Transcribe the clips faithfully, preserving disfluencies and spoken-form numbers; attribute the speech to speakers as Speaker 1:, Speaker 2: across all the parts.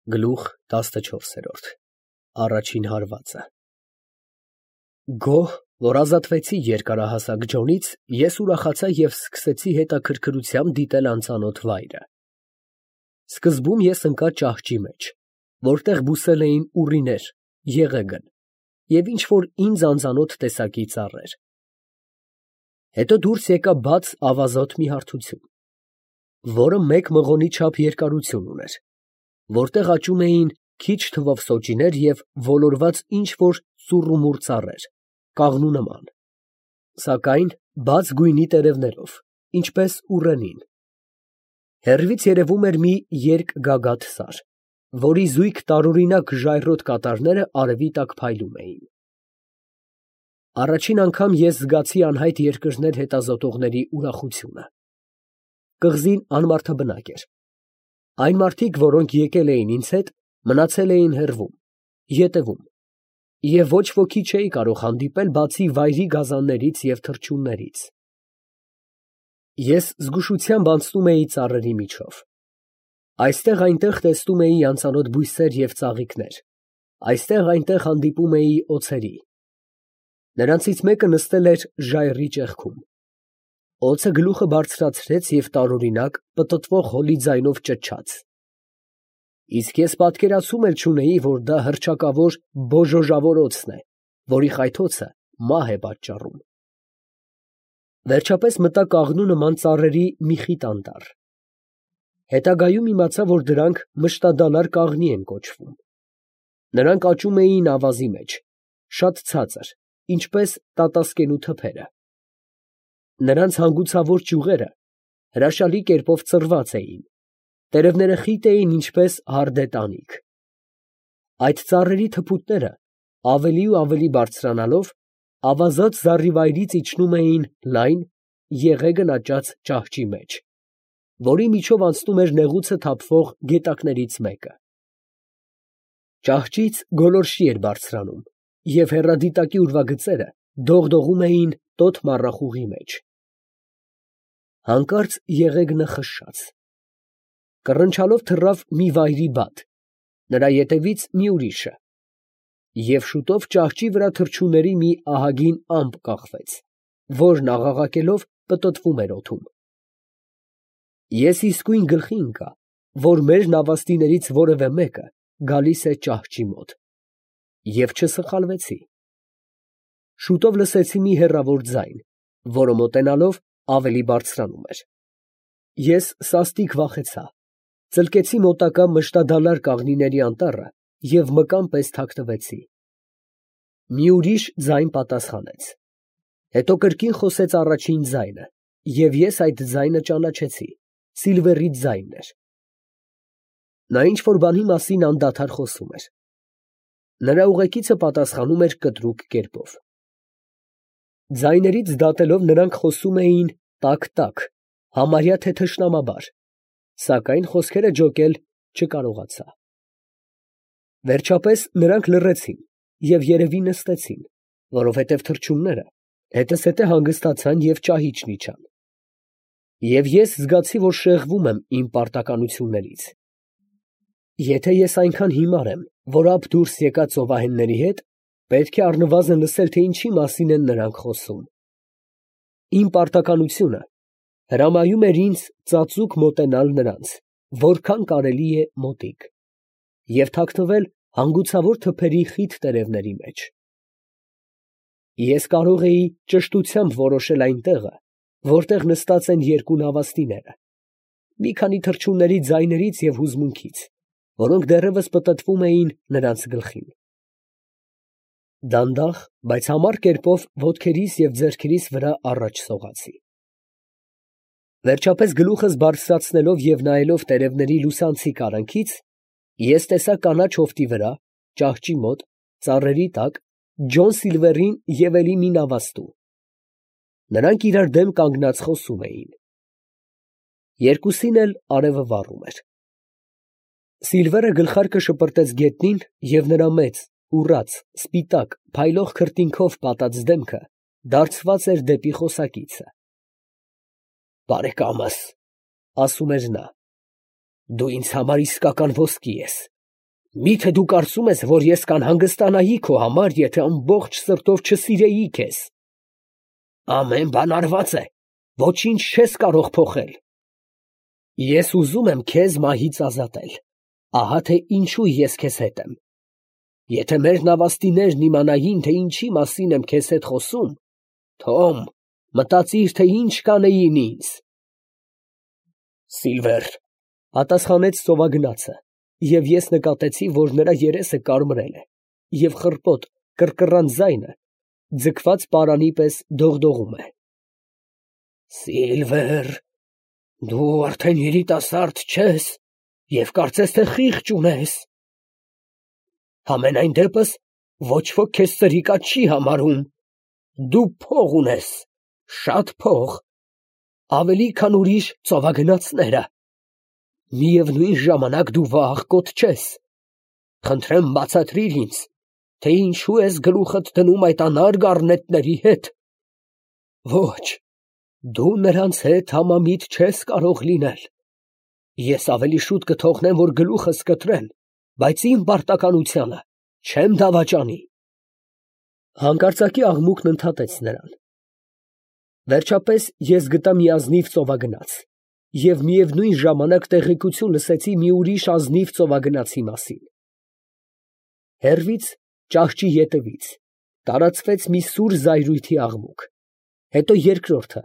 Speaker 1: Գլուխ տասնչորս։ Առաջին հարվածը։ Գոհ, որ ազատվեցի երկարահասակ Ջոնից, ես ուրախացա և սկսեցի հետաքրքրությամբ դիտել անծանոթ վայրը։ Սկզբում ես ընկա ճահճի մեջ, որտեղ բուսել էին ուռիներ, եղեգն և ինչ֊որ ինձ անծանոթ տեսակի ծառեր։ Հետո դուրս եկա բաց ավազոտ մի հարթություն, որը մեկ մղոնի չափ երկարություն ուներ, որտեղ աճում էին քիչ թվով սոճիներ և ոլորված ինչ֊որ սուռումուռ ծառեր, կաղնու նման, սակայն բաց գույնի տերևներով, ինչպես ուռենին։ Հեռվից երևում էր մի երկգագաթ սար, որի զույգ տարօրինակ ժայռոտ կատարները արևի տակ փայլում էին։ Առաջին անգամ ես զգացի անհայտ երկրներ հետազոտողների ուրախությունը։ Կղզին անմարդաբնակ էր։ Այն մարդիկ, որոնք եկել էին ինձ հետ, մնացել էին հեռվում, ետևում, և ոչ ոքի չէի կարող հանդիպել, բացի վայրի գազաններից և թռչուններից։ Ես զգուշությամբ անցնում էի ծառերի միջով։ Այստեղ֊այնտեղ տեսնում էի անծանոթ բույսեր և ծաղիկներ, այստեղ֊այնտեղ հանդիպում էի օձերի։ Նրանցից մեկը նստել էր ժայռի ճեղքում։ Օձը գլուխը բարձրացրեց և տարօրինակ, պտտվող հոլի ձայնով ճչաց։ Իսկ ես պատկերացում էլ չունեի, որ դա հռչակավոր բոժոժավոր օձն է, որի խայթոցը մահ է պատճառում։ Վերջապես մտա կաղնու նման ծառերի մի խիտ անտառ։ Հետագայում իմացա, որ դրանք մշտադալար կաղնի են կոչվում։ Նրանք աճում էին ավազի մեջ, շատ ցածր, ինչպես տատասկենու թփերը։ Նրանց հանգուցավոր ճյուղերը հրաշալի կերպով ծռված էին, տերևները խիտ էին, ինչպես հարդե տանիք։ Այդ ծառերի թփուտները, ավելի ու ավելի բարձրանալով, ավազոտ զառիվայրից իջնում էին լայն, եղեգն աճած ճահճի մեջ, որի միջով անցնում էր նեղուցը թափվող գետակներից մեկը։ Ճահճից գոլորշի էր բարձրանում, և հեռադիտակի ուրվագծերը դողդողում էին տոտ մառախուղի մեջ։ Հանկարծ եղեգնը խշշաց։ Կռնչալով թռավ մի վայրի բադ, նրա ետևից մի ուրիշը, և շուտով ճահճի վրա թռչունների մի ահագին ամպ կախվեց, որն աղաղակելով պտտվում էր օդում։ Ես իսկույն գլխի ընկա, որ մեր նավաստիներից որևէ մեկը գալիս է ճահճի մոտ, և չսխալվեցի։ Շուտով լսեցի մի հեռավոր ձայն, որը մոտենալով ավելի բարձրանում էր։ Ես սաստիկ վախեցա, ծլկեցի մոտակա մշտադալար կաղնիների անտառը և մկան պես թաքնվեցի։ Մի ուրիշ ձայն պատասխանեց։ Հետո կրկին խոսեց առաջին ձայնը, և ես այդ ձայնը ճանաչեցի, Սիլվերի ձայնն էր։ Նա ինչ֊որ բանի մասին անդադար խոսում էր։ Նրա ուղեկիցը պատասխանում էր կտրուկ կերպով։ Ձայներից դատելով նրանք խոսում էին տակ֊տակ, համարյա թե թշնամաբար, սակայն խոսքերը ջոկել չկարողացա։ Վերջապես նրանք լռեցին և երևի նստեցին, որովհետև թռչունները հետզհետե հանգստացան և ճահիճն իջան։ Եվ ես զգացի, որ շեղվում եմ իմ պարտականություններից։ Եթե ես այնքան հիմար եմ, որ ափ դուրս եկած ծովահենների հետ, պետք է առնվազն լսել, թե ինչի մասին են նրանք խոսում։ Իմ պարտականությունը հրամայում էր ինձ ծածուկ մոտենալ նրանց, որքան կարելի է մոտիկ, և թաքնվել հանգուցավոր թփերի խիտ տերևների մեջ։ Ես կարող էի ճշտությամբ որոշել այն տեղը, որտեղ նստած են երկու նավաստիները, մի քանի թռչունների ձայներից և հուզմունքից, որոնք դեռևս պտտվում էին նրանց գլխին։ Դանդաղ, բայց համառ կերպով ոտքերիս և ձեռքերիս վրա առաջ սողացի։ Վերջապես գլուխս բարձրացնելով և նայելով տերևների լուսանցիկ արանքից, ես տեսա կանաչ հովտի վրա, ճահճի մոտ, ծառերի տակ, Ջոն Սիլվերին և էլի մի նավաստու։ Նրանք իրար դեմ կանգնած խոսում էին։ Երկուսին էլ արևը վառում էր։ Սիլվերը գլխարկը շպրտեց գետնին, և նրա մեծ, ուռած, սպիտակ, փայլող քրտինքով պատած դեմքը դարձված էր դեպի խոսակիցը։ «Բարեկամս, ֊ ասում էր նա, ֊ դու ինձ համար իսկական ոսկի ես, Մի՞թե դու կարծում ես, որ ես կանհանգստանայի քո համար, եթե ամբողջ սրտով չսիրեի քեզ։ Ամեն բան արված է, ոչինչ չես կարող փոխել։ Ես ուզում եմ քեզ մահից ազատել, ահա թե ինչու ես քեզ հետ եմ։ Եթե մեր նավաստիներն իմանային, թե ինչի մասին եմ քեզ հետ խոսում, Թոմ, մտածիր, թե ինչ կանեին ինձ։ Սիլվեր, պատասխանեց ծովագնացը, և ես նկատեցի, որ նրա երեսը կարմրել է, և խռպոտ, կռկռան ձայնը ձգված պարանի պես դողդողում է։ Սիլվեր, դու արդեն երիտասարդ չես և կարծես թե խիղճ ունես։ Համենայն դեպս ոչ ոք քեզ սրիկա չի համարում։ Դու փող ունես, շատ փող, ավելի քան ուրիշ ծովագնացները։ Միևնույն ժամանակ դու վախկոտ չես։ Խնդրեմ բացատրիր ինձ, թե ինչու ես գլուխդ դնում այդ անարգ առնետների հետ։ Ոչ, դու նրանց հետ համամիտ չես կարող լինել։ Ես ավելի շուտ կթողնեմ, որ գլուխս կտրեն, բայց իմ պարտականությանը չեմ դավաճանի։ Հանկարծակի աղմուկն ընդհատեց նրան։ Վերջապես ես գտա մի ազնիվ ծովագնաց և միևնույն ժամանակ տեղեկություն լսեցի մի ուրիշ ազնիվ ծովագնացի մասին։ Հեռվից, ճահճի ետևից, տարածվեց մի սուր զայրույթի աղմուկ, հետո երկրորդը,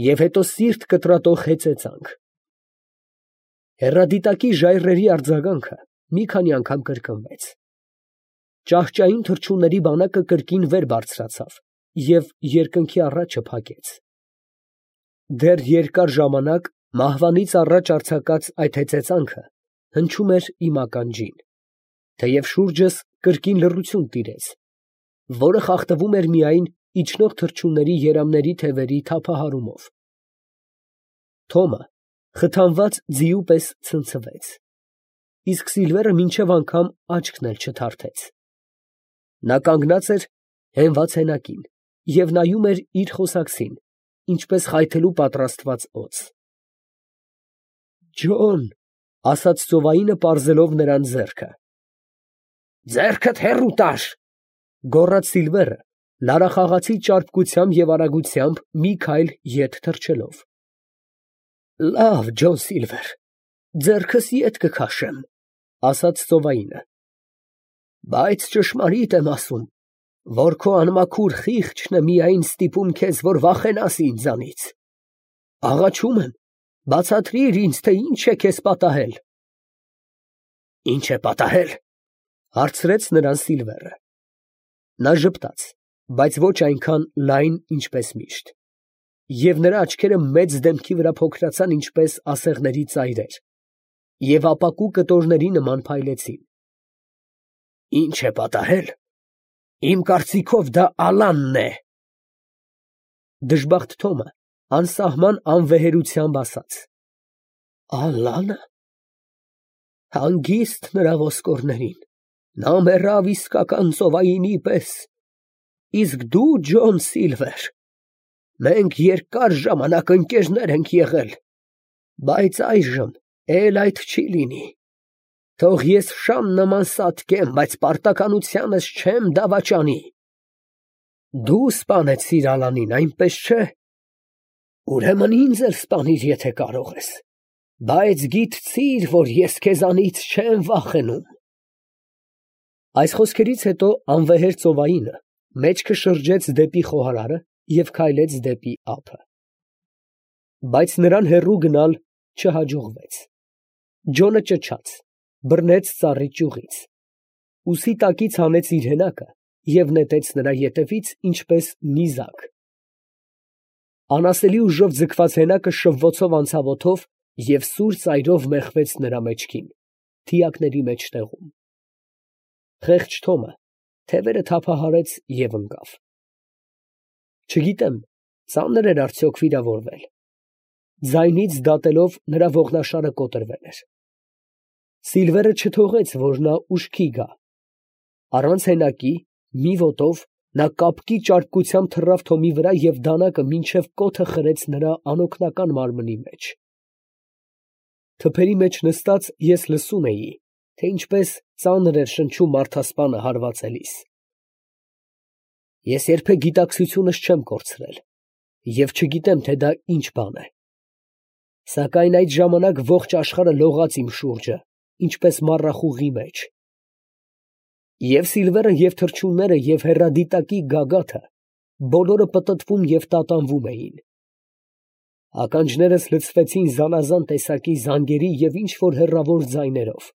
Speaker 1: և հետո սիրտ կտրատող հեծեծանք։ Հեռադիտակի ժայռերի արձագանքը մի քանի անգամ կրկնվեց։ Ճահճային թռչունների բանակը կրկին վեր բարձրացավ և երկնքի առաջը փակեց։ Դեռ երկար ժամանակ մահվանից առաջ արձակած այդ հեծեծանքը հնչում էր իմ ականջին, թեև շուրջս կրկին լռություն տիրեց, որը խախտվում էր միայն իջնող թռչունների երամների թևերի թափահարումով։ Թոմը խթանված ձիու պես ցնցվեց, իսկ Սիլվերը մինչև անգամ աչքն էլ չթարթեց։ Նա կանգնած էր հենված հենակին և նայում էր իր խոսակցին, ինչպես խայթելու պատրաստված օձ։ Ջոն, ֊ ասաց ծովայինը, պարզելով նրան ձեռքը։ Ձեռքդ հեռու տար, ֊ գոռաց Սիլվերը, լարախաղացի ճարպկությամբ և արագությամբ մի քայլ ետ թռչելով։ Լավ, Ջոն Սիլվեր, ձեռքս ետ կքաշեմ, ֊ ասաց ծովայինը, բայց ճշմարիտ եմ ասում, որ քո անմաքուր խիղճն է միայն ստիպում քեզ, որ վախենաս ինձանից։ Աղաչում եմ, բացատրիր ինձ, թե ինչ է քեզ պատահել։ Ինչ է պատահել, ֊ հարցրեց նրան Սիլվերը։ Նա ժպտաց, բայց ոչ այնքան լայն, ինչպես միշտ, և նրա աչքերը մեծ դեմքի վրա փոքրացան, ինչպես ասեղների ծայրեր, և ապակու կտորների նման փայլեցին։ Ինչ է պատահել, իմ կարծիքով դա Ալանն է։ Դժբախտ Թոմը անսահման անվեհերությամբ ասաց. Ալա՞նը։ Հանգիստ նրա ոսկորներին, նա մեռավ իսկական ծովայինի պես, իսկ դու, Ջոն Սիլվեր, մենք երկար ժամանակ ընկերներ ենք եղել, բայց այժմ էլ այդ չի լինի։ Թող ես շան նման սատկեմ, բայց պարտականությանս չեմ դավաճանի։ Դու սպանեցիր Ալանին, այնպես չէ։ Ուրեմն ինձ էլ սպանիր, եթե կարող ես, բայց գիտցիր, որ ես քեզանից չեմ վախենում։ Այս խոսքերից հետո անվեհեր ծովայինը մեջքը շրջեց դեպի խոհարարը և քայլեց դեպի ափը։ Բայց նրան հեռու գնալ չհաջողվեց։ Ջոնը ճչաց, բռնեց ծառի ճյուղից, ուսի տակից հանեց իր հենակը և նետեց նրա ետևից, ինչպես նիզակ։ Անասելի ուժով ձգված հենակը շվվոցով անցավ օդով և սուր ծայրով մեխվեց նրա մեջքին, թիակների մեջտեղում։ Խեղճ Թոմը թևերը թափահարեց և ընկավ։ Չգիտեմ, ծանր էր արդյոք վիրավորվել։ Ձայնից դատելով նրա ողնաշարը կոտրվել էր։ Սիլվերը չթողեց, որ նա ուշքի գա։ Առանց հենակի, մի ոտով, նա կապկի ճարպկությամբ թռավ Թոմի վրա և դանակը մինչև կոթը խրեց նրա անօգնական մարմնի մեջ։ Թփերի մեջ նստած ես լսում էի, թե ինչպես ծանր էր շնչում մարդասպանը հարվածելիս։ Ես երբեք գիտակցությունս չեմ կորցրել և չգիտեմ, թե դա ինչ բան է։ Սակայն այդ ժամանակ ողջ աշխարհը լողաց իմ շուրջը, ինչպես մառախուղի մեջ։ Եվ Սիլվերը, և թռչունները, և հեռադիտակի գագաթը բոլորը պտտվում և տատանվում էին։ Ականջներս լցվեցին զանազան տեսակի զանգերի և ինչ֊որ հեռավոր ձայներով։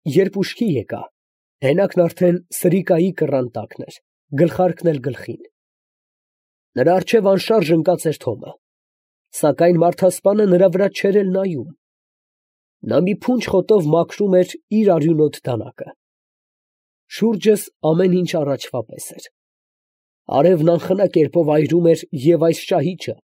Speaker 1: Երբ ուշքի եկա, հենակն արդեն սրիկայի կռան տակն էր, գլխարկն էլ գլխին։ Նրա առջև անշարժ ընկած էր Թոմը, սակայն մարդասպանը նրա վրա չէր էլ նայում։ Նա մի փունջ խոտով մաքրում էր իր արյունոտ դանակը։ Շուրջս ամեն ինչ առաջվա պես էր։ Արևն անխնա կերպով այրում էր և այս ճահիճը,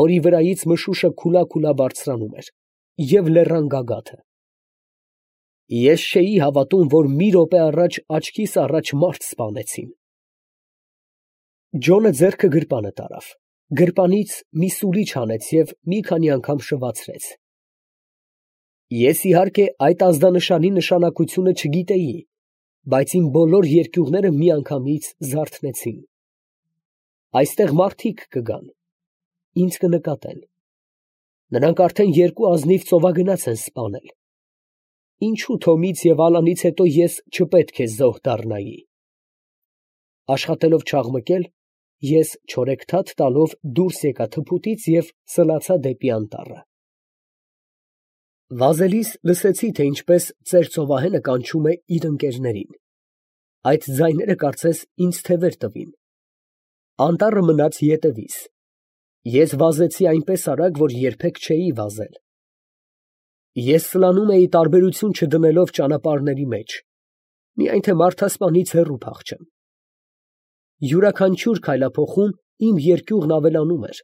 Speaker 1: որի վրայից մշուշը քուլա֊քուլա բարձրանում էր, և լեռան գագաթը։ Ես չէի հավատում, որ մի րոպե առաջ աչքիս առաջ մարդ սպանեցին։ Ջոնը ձեռքը գրպանը տարավ, գրպանից մի սուլիչ հանեց և մի քանի անգամ շվացրեց։ Ես, իհարկե, այդ ազդանշանի նշանակությունը չգիտեի, բայց իմ բոլոր երկյուղները միանգամից զարթնեցին։ Այստեղ մարդիկ կգան, ինձ կնկատեն։ Նրանք արդեն երկու ազնիվ ծովագնաց են սպանել։ Ինչո՞ւ Թոմից և Ալանից հետո ես չպետք է զոհ դառնայի։ Աշխատելով չաղմկել, ես չորեքթաթ տալով դուրս եկա թփուտից և սլացա դեպի անտառը։ Վազելիս լսեցի, թե ինչպես ծեր ծովահենը կանչում է իր ընկերներին։ Այդ ձայները կարծես ինձ թևեր տվին։ Անտառը մնաց ետևիս։ Ես վազեցի այնպես արագ, որ երբեք չէի վազել։ Ես սլանում էի տարբերություն չդնելով ճանապարհների մեջ, միայն թե մարդասպանից հեռու փախչեմ։ Յուրաքանչյուր քայլափոխում իմ երկյուղն ավելանում էր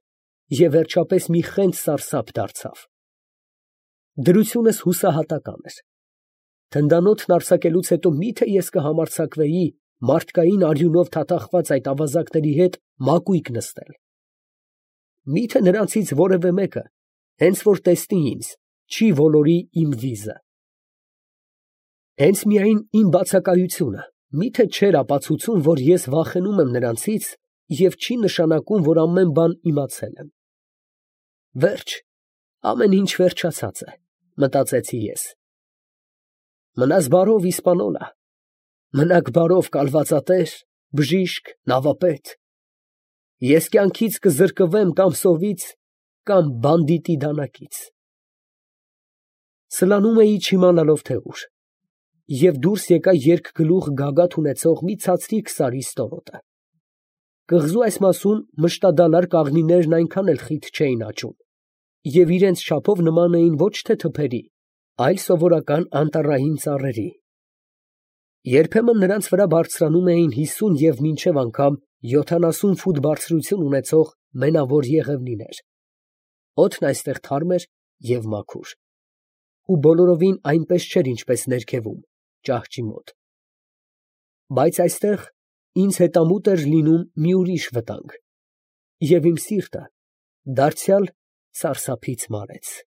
Speaker 1: և վերջապես մի խենթ սարսափ դարձավ։ Դրությունս հուսահատական էր։ Թնդանոթն արձակելուց հետո մի՞թե ես կհամարձակվեի մարդկային արյունով թաթախված այդ ավազակների հետ մակույկ նստել։ Մի՞թե նրանցից որևէ մեկը, հենց որ տեսնի ինձ, չի ոլորի իմ վիզը։ Հենց միայն իմ բացակայությունը մի՞թե չէր ապացուցում, որ ես վախենում եմ նրանցից և չի նշանակում, որ ամեն բան իմացել եմ։ Վերջ, ամեն ինչ վերջացած է, մտածեցի ես։ Մնաս բարով, Իսպանոլա, մնաք բարով, կալվածատեր, բժիշկ, նավապետ։ Ես կյանքից կզրկվեմ կամ սովից, կամ բանդիտի դանակից։ Սլանում էի չիմանալով, թե ուր, և դուրս եկա երկգլուխ գագաթ ունեցող մի ցածրիկ սարի ստորոտը։ Կղզու այս մասում մշտադալար կաղնիներն այնքան էլ խիտ չէին աճում և իրանց չափով նման էին ոչ թե թփերի, այլ սովորական անտառային ծառերի։ Երբեմն նրանց վրա բարձրանում էին հիսուն և մինչև անգամ յոթանասուն ֆուտ բարձրություն ունեցող մենավոր եղևնիներ։ Օդն այստեղ թարմ էր և մաքուր, ու բոլորովին այնպես չէր, ինչպես ներքևում, ճահճի մոտ։ Բայց այստեղ ինձ հետամուտ էր լինում մի ուրիշ վտանգ, և իմ սիրտը դարձյալ սարսափից մարեց։